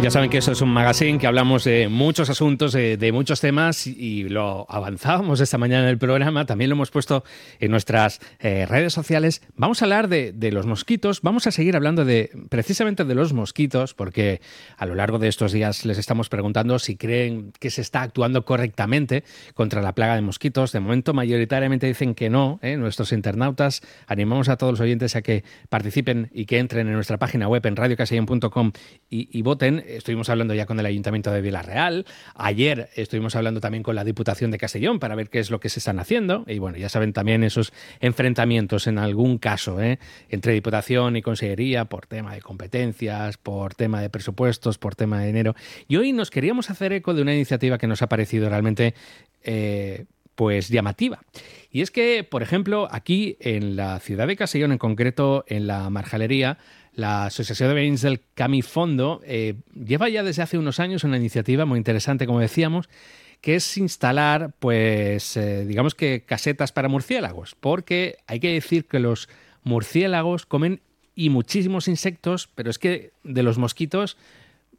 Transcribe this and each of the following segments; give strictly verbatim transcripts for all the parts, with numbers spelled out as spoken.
Ya saben que eso es un magazine que hablamos de muchos asuntos, de, de muchos temas y lo avanzábamos esta mañana en el programa, también lo hemos puesto en nuestras eh, redes sociales. Vamos a hablar de, de los mosquitos, vamos a seguir hablando de precisamente de los mosquitos porque a lo largo de estos días les estamos preguntando si creen que se está actuando correctamente contra la plaga de mosquitos. De momento mayoritariamente dicen que no, ¿eh? Nuestros internautas, animamos a todos los oyentes a que participen y que entren en nuestra página web en radio castellón punto com y, y voten. Estuvimos hablando ya con el Ayuntamiento de Vila-real. Ayer estuvimos hablando también con la Diputación de Castellón para ver qué es lo que se están haciendo. Y bueno, ya saben también esos enfrentamientos en algún caso, ¿eh? entre Diputación y Consellería por tema de competencias, por tema de presupuestos, por tema de dinero. Y hoy nos queríamos hacer eco de una iniciativa que nos ha parecido realmente eh, pues llamativa. Y es que, por ejemplo, aquí en la ciudad de Castellón, en concreto en la Marjalería, la Asociación de Veïns del Camí Fondo eh, lleva ya desde hace unos años una iniciativa muy interesante, como decíamos, que es instalar, pues, eh, digamos que casetas para murciélagos, porque hay que decir que los murciélagos comen y muchísimos insectos, pero es que de los mosquitos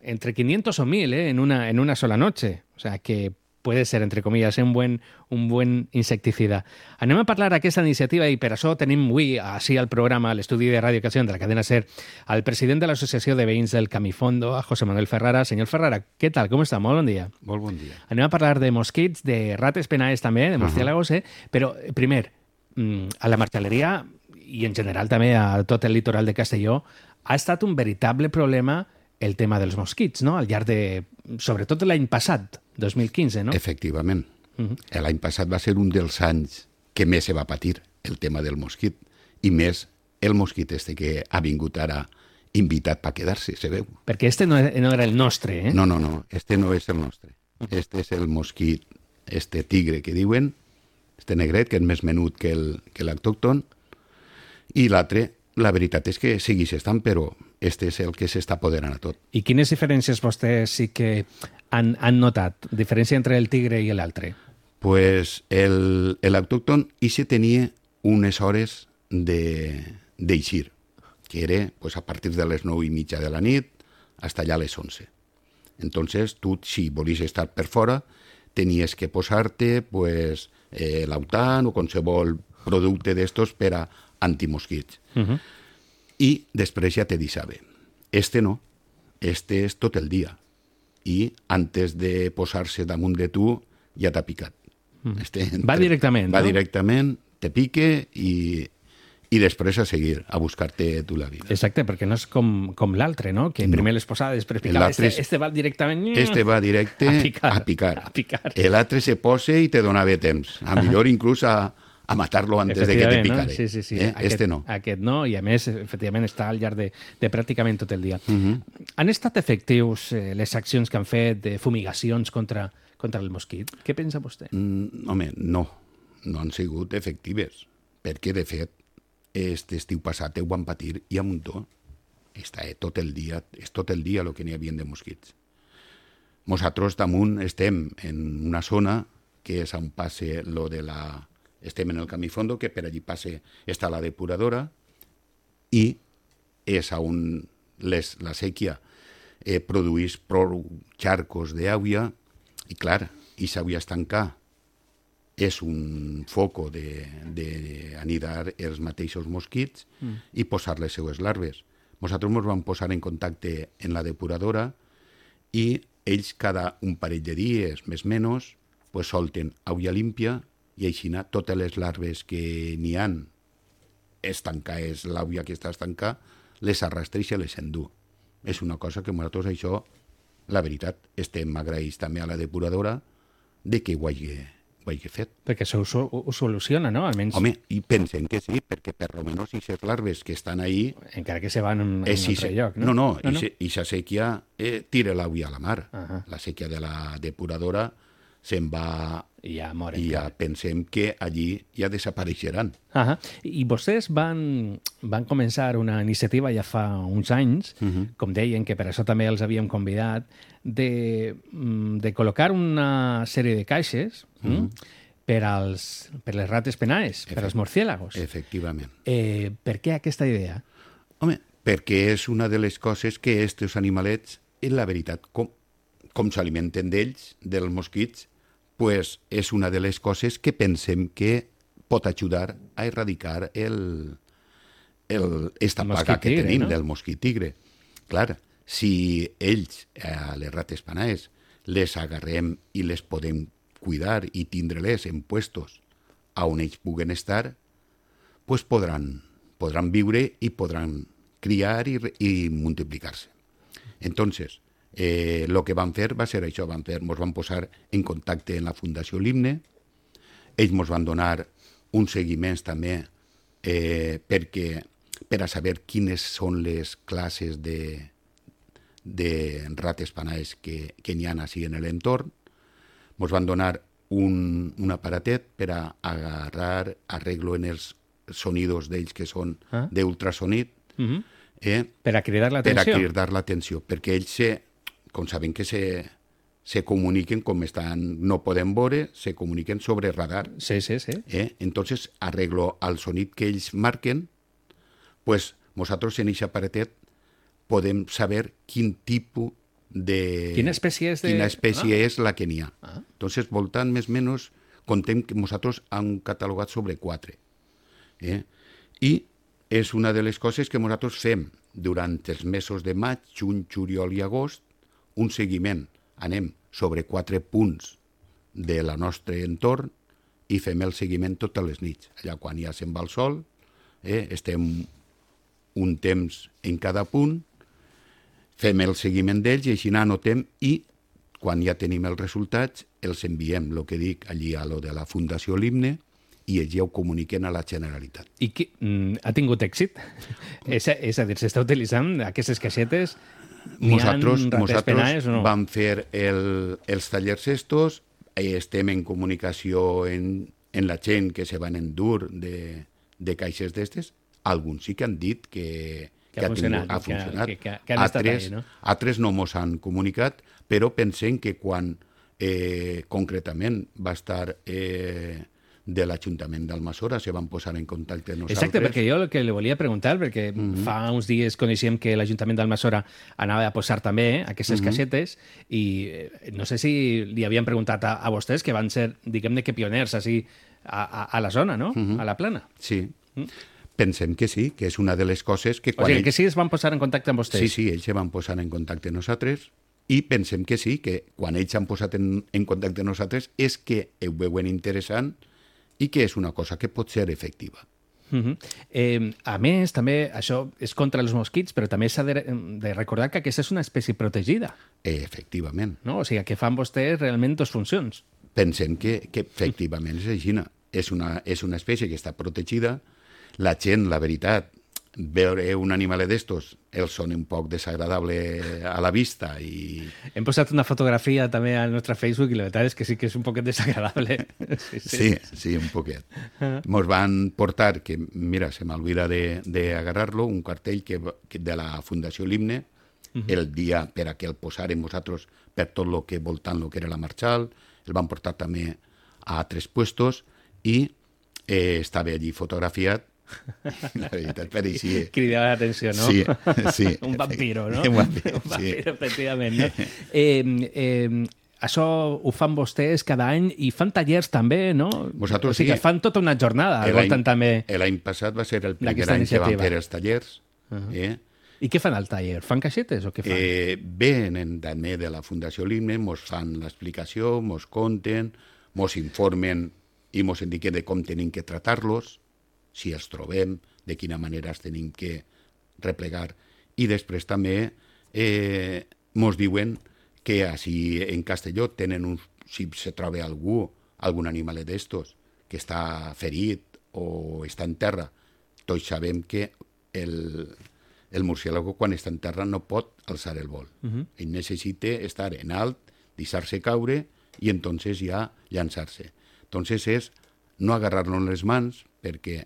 entre quinientos o mil ¿eh? en, una, en una sola noche. O sea que puede ser, entre comillas, un buen, un buen insecticida. Anem a parlar d'aquesta iniciativa i per això tenim avui, així al programa, a l'estudi de Ràdio Castellón de la cadena SER, al president de l'Associació de Veïns del Camí Fondo, a José Manuel Ferrara. Senyor Ferrara, què tal? Com està? Molt bon dia. Molt bon dia. Anem a parlar de mosquits, de rates penaes també, de murciélagos, eh? Però, primer, a la marxaleria i en general també a tot el litoral de Castelló ha estat un veritable problema el tema dels mosquits, no? Al llarg de... Sobretot l'any passat, dos mil quinze, no? Efectivament. Uh-huh. L'any passat va ser un dels anys que més se va patir el tema del mosquit. I més el mosquit este que ha vingut ara invitat per quedar-se, se veu. Perquè este no era el nostre, eh? No, no, no. Este no és el nostre. Este és el mosquit, este tigre que diuen, este negret, que és més menut que l'autòcton, i l'altre, la veritat és que segueix estant, però este és el que s'està apoderant a tot. I quines diferències vostès sí que han, han notat? Diferència entre el tigre i l'altre? Pues l'autòcton i se tenia unes hores d'eixir, que era pues, a partir de les nou i mitja de la nit fins allà a les onze. Entonces, tu, si volies estar per fora, tenies que posar-te pues, eh, l'autant o qualsevol producte d'estos per a antimosquits. Uh-huh. I després ja te deixava. Este no, este és tot el dia. I antes de posar-se damunt de tu ja t'ha picat. Este, va directament, va no? Va directament, te pique i, i després a seguir, a buscar-te tu la vida. Exacte, perquè no és com, com l'altre, no? Que primer no. les posava, després picava. Este, este va directament... Este va directe a picar. A picar. A picar. L'altre se posa i te donava temps. A millor inclús a... a matar-lo antes de que te picare. No? Sí, sí, sí. Eh? Aquest, este no. Aquest no, i a més, efectivament, està al llarg de, de pràcticament tot el dia. Uh-huh. Han estat efectius eh, les accions que han fet de fumigacions contra, contra el mosquit? Què pensa vostè? Mm, home, no. No han sigut efectives. Perquè, de fet, este estiu passat ho van patir i a muntó. Està eh, tot el dia, és tot el dia el que n'hi havia de mosquits. Nosaltres damunt estem en una zona que és on passe lo de la... Estem en el Camí Fondo, que per allí passe està la depuradora i és on les, la sèquia eh, produeix prou xarcos d'aigua i, clar, i s'havia estancar. És un foco d'anidar els mateixos mosquits mm. i posar les seues larves. Nosaltres ens vam posar en contacte en la depuradora i ells cada un parell de dies, més o menys, pues, solten aigua límpia i així totes les larves que n'hi han estancades, l'aigua que està estancada, les arrastreix i les endú. És una cosa que nosaltres això, la veritat, estem agraïts també a la depuradora de que ho hagi, ho hagi fet. Perquè això ho, ho soluciona, no? Almenys... Home, i pensem que sí, perquè per almenys aquestes larves que estan ahí... Encara que se van en, en eh, un si altre se, lloc, no? No, no, no, no? i aquesta sèquia eh, tira l'aigua a la mar. Uh-huh. La sèquia de la depuradora se'n va... I ja moren. I ja pensem que allí ja desapareixeran. Uh-huh. I vostès van, van començar una iniciativa ja fa uns anys, uh-huh. com deien, que per això també els havíem convidat, de, de col·locar una sèrie de caixes uh-huh. per, als, per les rates penaes, Efect- per als murciélagos. Efectivament. Eh, per què aquesta idea? Home, perquè és una de les coses que estos animalets la veritat, com, com s'alimenten d'ells, dels mosquits, pues és una de les coses que pensem que pot ajudar a erradicar el, el, esta plaga que tigre, tenim, no? del mosquit tigre. Clar, si ells, a les rates panaes, les agarrem i les podem cuidar i tindre-les en puestos on ells puguen estar, pues podran, podran viure i podran criar i, i multiplicar-se. Entonces, eh, lo que van fer va ser això, van fer, ens van posar en contacte en la Fundació Limne, ells ens van donar uns seguiments també eh, perquè, per a saber quines són les classes de, de rates panaes que, que n'hi ha així en l'entorn. Ens van donar un, un aparatet per a agarrar arreglo en els sonidos d'ells que són ah. d'ultrasonit, uh-huh. eh, per a cridar l'atenció. Per a cridar l'atenció, perquè ells, se, com saben que se, se comuniquen, com estan, no podem veure, se comuniquen sobre radar. Sí, sí, sí. Eh? Entonces, arreglo al sonit que ells marquen, pues nosaltres en aquest aparatet podem saber quin tipus de... Quina espècie és, de... Quina espècie ah. és la que n'hi ha. Ah. Entonces, voltant més o menys, contem que nosaltres hem catalogat sobre quatre. Eh? I és una de les coses que nosaltres fem durant els mesos de maig, juny, juliol i agost, un seguiment. Anem sobre quatre punts de la nostre entorn i fem el seguiment totes les nits. Allà quan ja se'n va el sol, eh, estem un temps en cada punt, fem el seguiment d'ells i així anotem i quan ja tenim els resultats els enviem, el que dic, allí a lo de la Fundació Limne i ells ja ho comuniquen a la Generalitat. I qui, mm, ha tingut èxit? és, a, és a dir, s'està utilitzant aquestes caixetes? Nosaltres, nosaltres no? vam fer el, els tallers estos, estem en comunicació en, en la gent que se van endur de, de caixes d'estes. Alguns sí que han dit que, que, que ha funcionat. Ha funcionat. Que, que, que han altres, estat ahí, no? Altres no mos han comunicat, però pensem que quan eh, concretament va estar eh, de l'Ajuntament d'Almassora se van posar en contacte amb nosaltres. Exacte, perquè jo el que li volia preguntar, perquè mm-hmm. fa uns dies coneixíem que l'Ajuntament d'Almassora anava a posar també aquestes mm-hmm. caixetes i eh, no sé si li havien preguntat a, a vostès, que van ser, diguem-ne que pioners així a, a, a la zona, no? Mm-hmm. A la plana. Sí. Mm. Pensem que sí, que és una de les coses que... Quan o sigui, ells... que sí es van posar en contacte amb vostès. Sí, sí, ells se van posar en contacte amb nosaltres i pensem que sí, que quan ells s'han posat en, en contacte amb nosaltres és que ho veuen interessant i que és una cosa que pot ser efectiva. Uh-huh. eh, a més, també, això és contra els mosquits, però també s'ha de, de recordar que aquesta és una espècie protegida. Eh, efectivament. No? O sigui, que fan vostès realment dues funcions. Pensem que, que efectivament és així. És una, és una espècie que està protegida. La gent, la veritat, veure un animal d'estos els són un poc desagradable a la vista i... Hem posat una fotografia també al nostre Facebook i la veritat és que sí que és un poquet desagradable. Sí, sí, sí, sí un poquet. Ens van portar, que mira, se m'olvida d'agarrar-lo, un cartell que, que de la Fundació Limne, uh-huh. el dia per a que el posàrem nosaltres per tot el que voltant el que era la Marchal, el van portar també a altres puestos i eh, estava allí fotografiat. La veritat, per així... Cridava l'atenció, no? Sí, sí. Un vampiro, no? Un vampiro, Un vampiro, sí. efectivament. No? Eh, eh, això ho fan vostès cada any i fan tallers també, no? Vosaltres o sigui, sí. fan tota una jornada. L'any també... passat va ser el primer any que van fer els tallers. Uh-huh. eh? I què fan al taller? Fan caixetes o què fan? Eh, venen també de la Fundació Limne, mos fan l'explicació, mos conten, mos informen i mos indiquen de com tenim que tratar-los, si els trobem, de quina manera els tenim que replegar. I després també eh, mos diuen que així en Castelló tenen un, si se troba algú, algun animal d'estos que està ferit o està en terra, tots sabem que el, el murciélago quan està en terra no pot alçar el vol. Uh-huh. Ell necessita estar en alt, deixar-se caure i entonces ja llançar-se. Entonces és no agarrar-lo en les mans perquè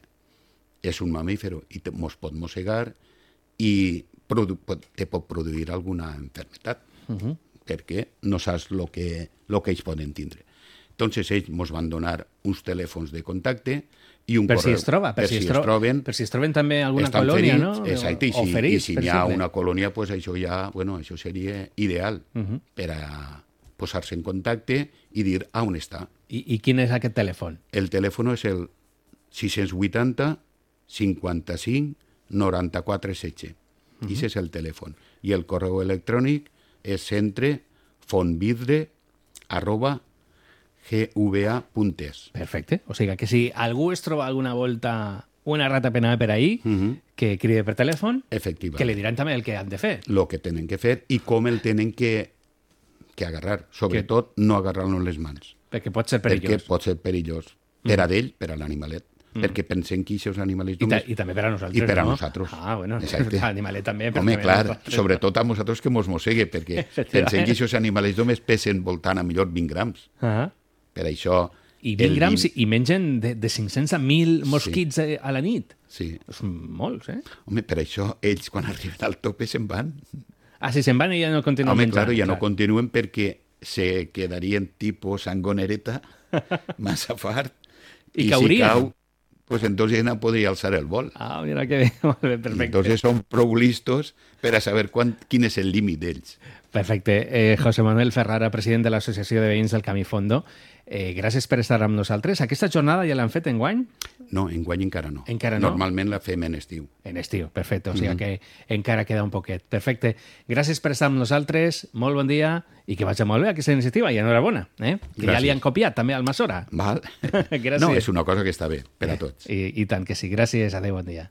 és un mamífero i te, mos pot mossegar i produ, pot, te pot produir alguna enfermetat, uh-huh. perquè no saps el que, lo que ells poden tindre. Entonces ells ens van donar uns telèfons de contacte i un per correu. Si es troba, per, per si, es, tro troben. Per si es troben també alguna estan colònia, ferits, no? Exacte, i si, o ferits, i si n'hi ha una colònia, pues això ja, bueno, això seria ideal uh -huh. per a posar-se en contacte i dir a on està. I, I quin és aquest telèfon? El telèfon és el sis vuitanta cinquanta-cinc noranta-quatre setze. Uh -huh. I ese és el telèfon. I el correu electrònic és centre fontvidre arroba gva punt es. Perfecte. O sigui que si algú es troba alguna volta una rata penada per ahí, uh -huh. que cride per telèfon, que li diran també el que han de fer. Lo que tenen que fer i com el tenen que, que agarrar. Sobretot que... no agarrar-lo en les mans. Perquè pot ser perillós. Perquè pot ser perillós. Per a d'ell, per a l'animalet. Mm. Perquè pensem que aquests animalets... I, ta I també per a nosaltres, I per a no? nosaltres. Ah, bueno, exacte. L'animalet també. Home, també clar, nosaltres, sobretot a nosaltres que mos mossegue, perquè pensem que aquests animalets només pesen voltant a millor vint grams. Uh -huh. Per això... I vint grams vint... i mengen de, de cinc-cents a mil mosquits sí. a la nit. Sí. Són molts, eh? Home, per això ells, quan arriben al tope, se'n van. Ah, si se'n van i ja no continuen Home, menjant. Home, clar, ja clar. no continuen perquè se quedarien tipus sangonereta, massa fart. I, I caurien. Si cau, pues entonces no podria alçar el vol. Ah, mira que bé, molt bé, perfecte. Entonces són prou listos per a saber quan, quin és el límit d'ells. Perfecte. Eh, José Manuel Ferrara, president de l'Associació de Veïns del Camí Fondo, eh, gràcies per estar amb nosaltres. Aquesta jornada ja l'han fet enguany? No, enguany encara no. Encara no? Normalment la fem en estiu. En estiu, perfecte. O sigui mm-hmm. que encara queda un poquet. Perfecte. Gràcies per estar amb nosaltres, molt bon dia i que vagi molt bé aquesta iniciativa i enhorabona. Eh? Que gràcies. Ja li han copiat també al Masora. Val. No, és una cosa que està bé per a tots. I, i tant que sí. Gràcies. Adéu, bon dia.